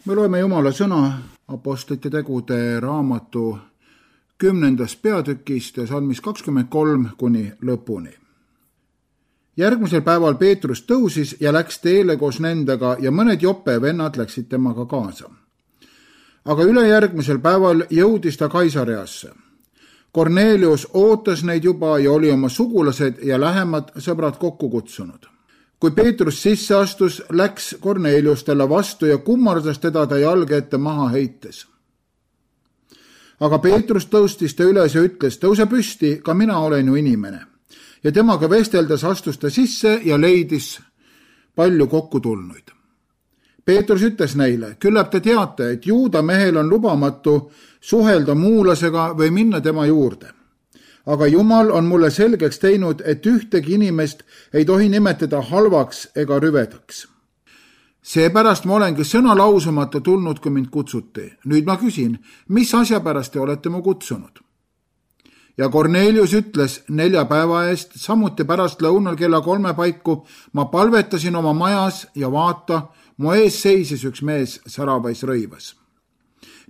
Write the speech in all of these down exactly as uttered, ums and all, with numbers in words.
Me loeme Jumala sõna Apostlite tegude raamatu kümnendast peatükist ja salmis kakskümmend kolm kuni lõpuni. Järgmisel päeval Peetrus tõusis ja läks teele koos nendega ja mõned Joppe vennad läksid temaga kaasa. Aga ülejärgmisel päeval jõudis ta Kaisareasse. Kornelius ootas neid juba ja oli oma sugulased ja lähemad sõbrad kokku kutsunud. Kui Peetrus sisse astus, läks Kornelius talle vastu ja kummardas teda ta jalge ette maha heites. Aga Peetrus tõustis ta üles ja ütles, tõuse püsti, ka mina olen ju inimene. Ja temaga vesteldes astus ta sisse ja leidis palju kokku tulnuid. Peetrus ütles neile, küllap te teate, et juuda mehel on lubamatu suhelda muulasega või minna tema juurde. Aga Jumal on mulle selgeks teinud, et ühtegi inimest ei tohi nimetada halvaks ega rüvedaks. Seepärast ma olengi sõna lausumata tulnud, kui mind kutsuti. Nüüd ma küsin, mis asja pärast te olete mu kutsunud? Ja Kornelius ütles nelja päeva eest, samuti pärast lõunal kella kolme paiku, ma palvetasin oma majas ja vaata, mu ees seisis üks mees säravais rõivas.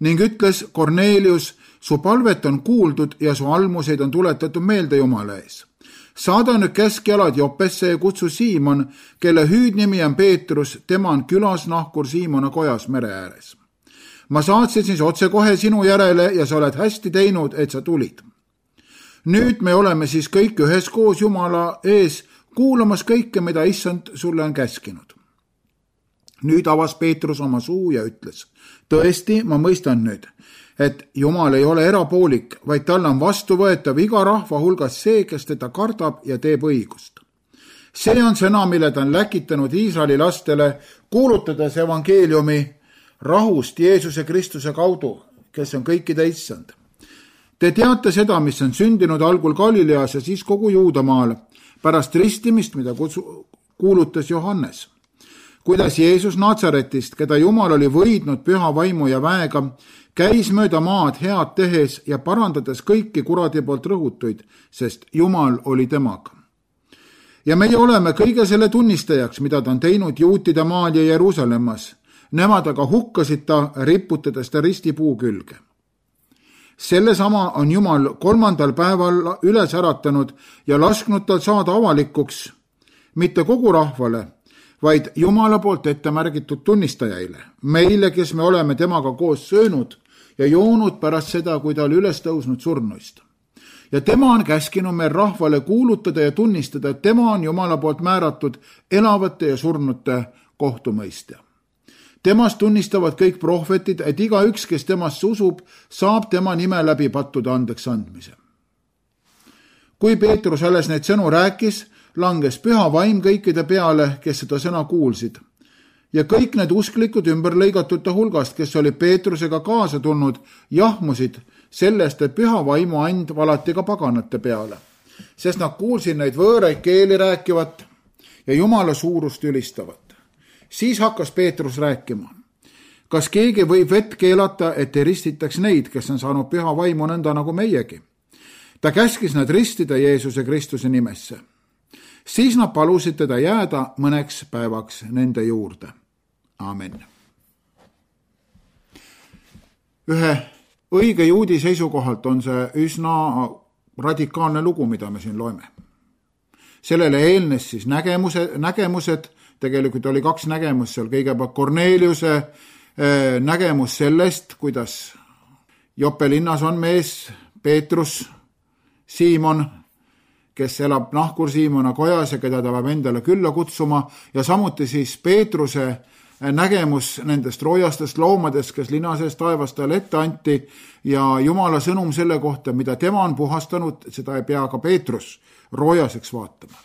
Ning ütles Kornelius, su palvet on kuuldud ja su almuseid on tuletatud meelde Jumala ees. Saada nüüd keskjalad Joppesse ja kutsu Siimon, kelle hüüdnimi on Peetrus, tema on külas nahkur Siimona kojas mere ääres. Ma saatsin siis otse kohe sinu järele ja sa oled hästi teinud, et sa tulid. Nüüd me oleme siis kõik üheskoos Jumala ees kuulamas kõike, mida issand sulle on käskinud. Nüüd avas Peetrus oma suu ja ütles, tõesti, ma mõistan nüüd, et Jumal ei ole erapoolik, vaid tal on vastuvõetav iga rahva hulgas see, kes teda kardab ja teeb õigust. See on sõna, mille ta on läkitanud Iisraeli lastele, kuulutades evangeeliumi rahust Jeesuse Kristuse kaudu, kes on kõikide issand. Te teate seda, mis on sündinud algul Galileas ja siis kogu Juudamaal, pärast ristimist, mida kutsu, kuulutas Johannes. Kuidas Jeesus Natsaretist, keda Jumal oli võidnud püha vaimu ja väega, käis mööda maad head tehes ja parandades kõiki kuradi poolt rõhutuid, sest Jumal oli temaga. Ja meie oleme kõige selle tunnistajaks, mida ta on teinud juutide maal ja Jeruusalemmas. Nemad aga hukkasid ta, riputades ta ristipuu külge. Sellesama on Jumal kolmandal päeval üles äratanud ja lasknud tal saada avalikuks, mitte kogu rahvale, vaid Jumala poolt ette märgitud tunnistajaile, meile, kes me oleme temaga koos söönud ja joonud pärast seda, kui ta oli üles tõusnud surnuist. Ja tema on käskinud meil rahvale kuulutada ja tunnistada, et tema on Jumala poolt määratud elavate ja surnute kohtumõistja. Temast tunnistavad kõik prohvetid, et igaüks, kes temast usub, saab tema nime läbi pattude andeks andmise. Kui Peetrus alles neid sõnu rääkis, langes püha vaim kõikide peale, kes seda sõna kuulsid. Ja kõik need usklikud ümberlõigatute hulgast, kes oli Peetrusega kaasa tulnud, jahmusid sellest, et püha vaimu and valati ka paganate peale, sest nad kuulsid neid võõraid keeli rääkivat ja Jumala suurust ülistavat. Siis hakkas Peetrus rääkima. Kas keegi võib vett keelata, et ei ristitaks neid, kes on saanud püha vaimu nõnda nagu meiegi? Ta käskis nad ristida Jeesuse Kristuse nimesse. Siis nad palusid teda jääda mõneks päevaks nende juurde. Amen. Ühe õige juudi seisukohalt on see üsna radikaalne lugu, mida me siin loeme. Sellele eelnes siis nägemuse, nägemused, tegelikult oli kaks nägemus seal, kõigepealt Korneliuse nägemus sellest, kuidas Joppe linnas on mees, Peetrus, Siimon, kes elab nahkur Siimona kojas ja keda ta peab endale külla kutsuma, ja samuti siis Peetruse nägemus nendest roojastest loomadest, kes linna sees taevast talle ette anti, ja Jumala sõnum selle kohta, mida tema on puhastanud, seda ei pea ka Peetrus roojaseks vaatama.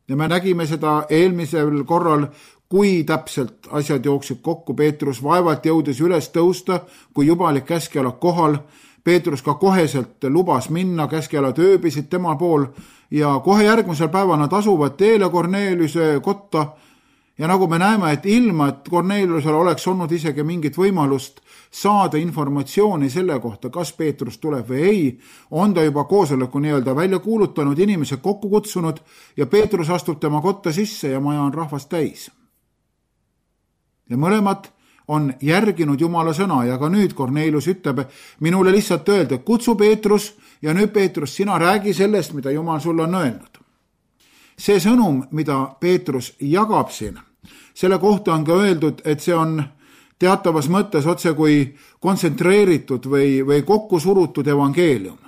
Ja me nägime seda eelmisel korral, kui täpselt asjad jooksid kokku. Peetrus vaevalt jõudis üles tõusta, kui juba oli käskjalad kohal. Peetrus ka koheselt lubas minna, käskjalad ööbisid tema pool ja kohe järgmisel päeval nad asuvad teele Korneliuse kotta. Ja nagu me näeme, et ilma, et Korneliusel oleks olnud isegi mingit võimalust saada informatsiooni selle kohta, kas Peetrus tuleb või ei, on ta juba koosoleku nii-öelda välja kuulutanud, inimesed kokku kutsunud ja Peetrus astub tema kotta sisse ja maja on rahvast täis. Ja mõlemad on järginud Jumala sõna ja ka nüüd Kornelius ütleb minule lihtsalt öelda, kutsu Peetrus ja nüüd Peetrus, sina räägi sellest, mida Jumal sulle on öelnud. See sõnum, mida Peetrus jagab siin, selle kohta on ka öeldud, et see on teatavas mõttes otse kui kontsentreeritud või, või kokku surutud evangeelium.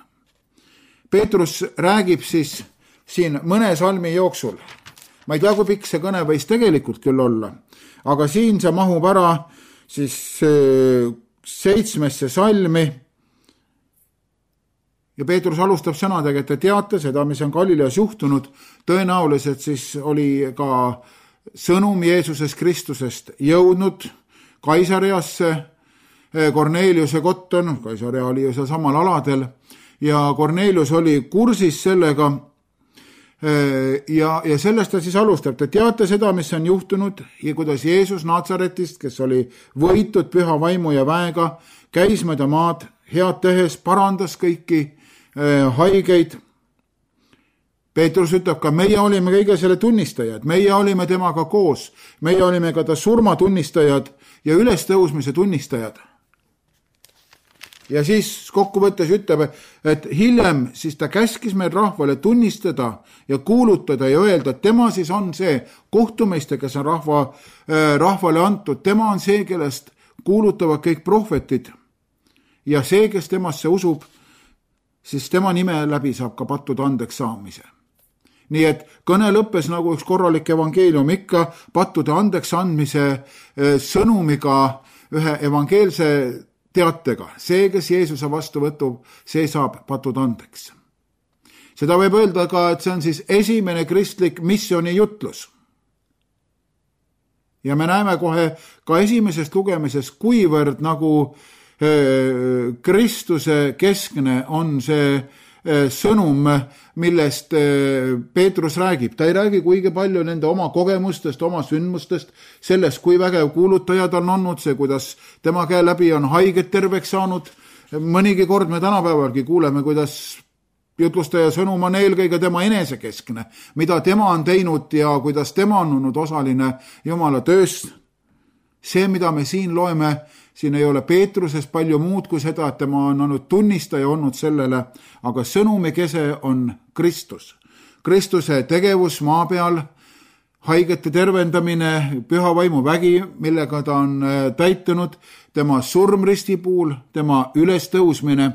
Peetrus räägib siis siin mõne salmi jooksul. Ma ei tea, kui pikk see kõne võis tegelikult küll olla, aga siin see mahub ära siis seitsmesse salmi. Ja Peetrus alustab sõnadega, et te teate seda, mis on Galileas juhtunud. Tõenäoliselt siis oli ka sõnum Jeesuses Kristusest jõudnud Kaisareasse. Korneliuse kotton, Kaisarea oli ju seal samal aladel, ja Kornelius oli kursis sellega, ja, ja sellest ta siis alustab. Te teate seda, mis on juhtunud ja kuidas Jeesus Naatsaretist, kes oli võitud püha vaimu ja väega, käis mööda maad head tehes, parandas kõiki haigeid. Peetrus ütleb ka, meie olime kõige selle tunnistajad, meie olime temaga koos, meie olime ka ta surma tunnistajad ja ülestõusmise tunnistajad. Ja siis kokkuvõttes ütleb, et hiljem siis ta käskis meil rahvale tunnistada ja kuulutada ja öelda, et tema siis on see kohtumeister, kes on rahva, rahvale antud, tema on see, kellest kuulutavad kõik prohvetid ja see, kes temasse usub, siis tema nime läbi saab ka pattude andeks saamise. Nii et kõne lõppes nagu üks korralik evangeelium ikka pattude andeks andmise sõnumiga, ühe evangeelse teatega. See, kes Jeesuse vastu võtub, see saab patud andeks. Seda võib öelda ka, et see on siis esimene kristlik missiooni jutlus. Ja me näeme kohe ka esimesest lugemisest, kuivõrd nagu Kristuse keskne on see sõnum, millest Peetrus räägib. Ta ei räägi kuigi palju nende oma kogemustest, oma sündmustest, sellest, kui vägev kuulutajad on olnud, see, kuidas tema käe läbi on haiged terveks saanud. Mõnigi kord me tänapäevalgi kuuleme, kuidas jutlustaja sõnum on eelkõige tema enesekeskne, mida tema on teinud ja kuidas tema on olnud osaline Jumala tööst. See, mida me siin loeme, siin ei ole Peetruses palju muud kui seda, et tema on olnud tunnistaja olnud sellele, aga sõnumi kese on Kristus. Kristuse tegevus maa peal, haigete tervendamine, püha vaimu vägi, millega ta on täitunud, tema surm risti puul, tema ülestõusmine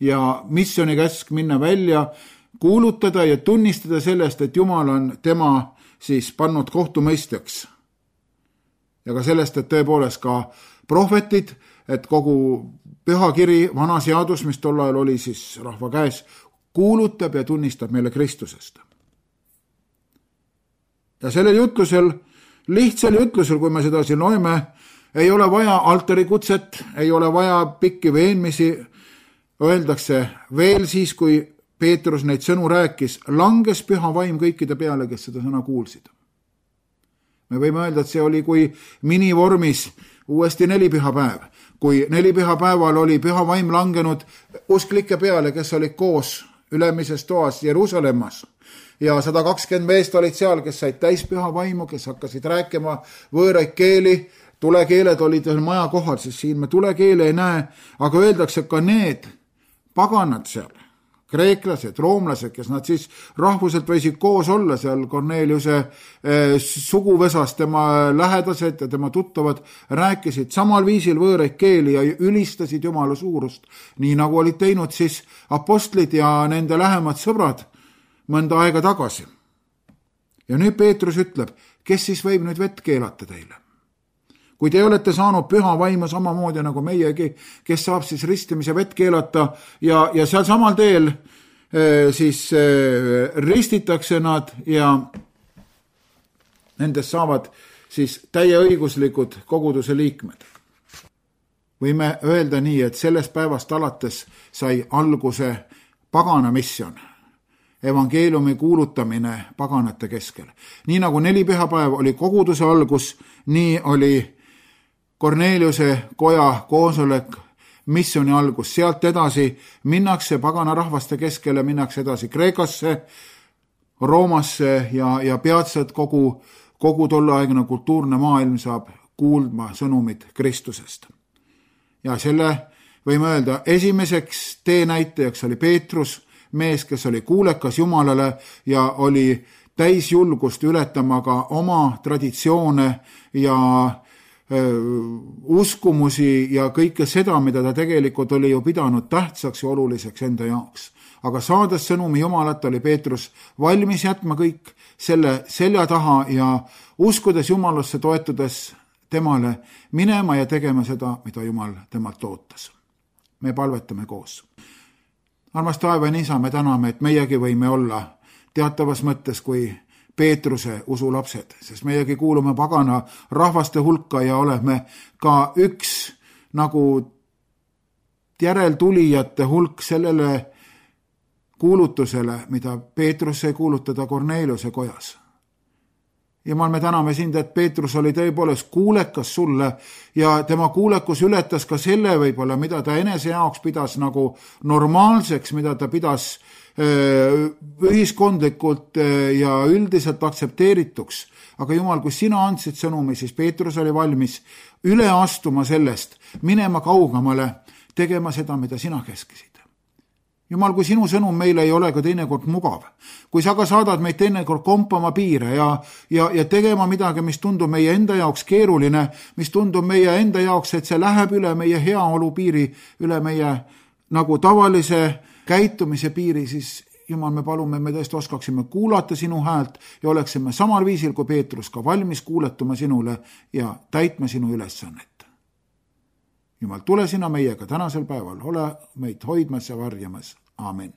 ja missiooni käsk minna välja, kuulutada ja tunnistada sellest, et Jumal on tema siis pannud kohtumõistjaks. Ja ka sellest, et tõepoolest ka prohvetid, et kogu pühakiri, vana seadus, mis tol ajal oli siis rahva käes, kuulutab ja tunnistab meile Kristusest. Ja sellel jutlusel, lihtsal jutlusel, kui me seda siin loeme, ei ole vaja altari kutset, ei ole vaja pikki veenmisi, öeldakse veel siis, kui Peetrus neid sõnu rääkis, langes püha vaim kõikide peale, kes seda sõna kuulsid. Me võime öelda, et see oli kui minivormis uuesti nelipühapäev. Kui nelipühapäeval oli püha vaim langenud usklike peale, kes olid koos ülemises toas Jeruusalemmas. Ja sada kakskümmend meest olid seal, kes said täis püha vaimu, kes hakkasid rääkima võõraid keeli. Tulekeeled olid veel maja kohal, siis siin me tulekeele ei näe, aga öeldakse ka need paganad seal. Kreeklased, roomlased, kes nad siis rahvuselt võisid koos olla seal Korneliuse eh, suguvesas, tema lähedased ja tema tuttavad rääkisid samal viisil võõraid keeli ja ülistasid Jumala suurust, nii nagu olid teinud siis apostlid ja nende lähemad sõbrad mõnda aega tagasi. Ja nüüd Peetrus ütleb, kes siis võib nüüd vett keelata teile? Kui te olete saanud püha vaimu samamoodi nagu meiegi, kes saab siis ristimise vett keelata ja, ja seal samal teel eh, siis eh, ristitakse nad ja nendest saavad siis täieõiguslikud koguduse liikmed. Võime öelda nii, et sellest päevast alates sai alguse pagana missioon, evangeeliumi kuulutamine paganate keskel. Nii nagu nelipühapäev oli koguduse algus, nii oli Korneliuse koja koosolek missiooni algus. Sealt edasi minnakse pagana rahvaste keskele, minnakse edasi Kreekasse, Roomasse ja, ja peatselt kogu, kogu tolleaegne kultuurne maailm saab kuulma sõnumit Kristusest. Ja selle võime öelda, esimeseks teenäitajaks oli Peetrus, mees, kes oli kuulekas Jumalale ja oli täis julgust ületama ka oma traditsioone ja öö, uskumusi ja kõike seda, mida ta tegelikult oli ju pidanud tähtsaks ja oluliseks enda jaoks. Aga saades sõnumi Jumalat, oli Peetrus valmis jätma kõik selle selja taha ja uskudes Jumalasse, toetudes temale minema ja tegema seda, mida Jumal temalt ootas. Me palvetame koos. Armas taevane Isa, me täname, et meiegi võime olla teatavas mõttes kui Peetruse usulapsed, sest meiegi kuulume pagana rahvaste hulka ja oleme ka üks nagu järeltulijate hulk sellele kuulutusele, mida Peetrus sai kuulutada Korneliuse kojas. Jumal, me täname sind, et Peetrus oli tõepoolest kuulekas sulle ja tema kuulekus ületas ka selle võib-olla, mida ta enese jaoks pidas nagu normaalseks, mida ta pidas ühiskondlikult ja üldiselt aktsepteerituks. Aga Jumal, kui sina andsid sõnumi, siis Peetrus oli valmis üle astuma sellest, minema kaugemale, tegema seda, mida sina käskisid. Jumal, kui sinu sõnum meile ei ole ka teinekord mugav, kui sa ka saadad meid teinekord kompama piire ja, ja, ja tegema midagi, mis tundub meie enda jaoks keeruline, mis tundub meie enda jaoks, et see läheb üle meie heaolu piiri, üle meie nagu tavalise käitumise piiri, siis Jumal, me palume, me tõesti oskaksime kuulata sinu häält ja oleksime samal viisil kui Peetrus ka valmis kuuletuma sinule ja täitma sinu ülesannet. Jumal, tule sina meiega tänasel päeval, ole meid hoidmas ja varjamas. Aamen.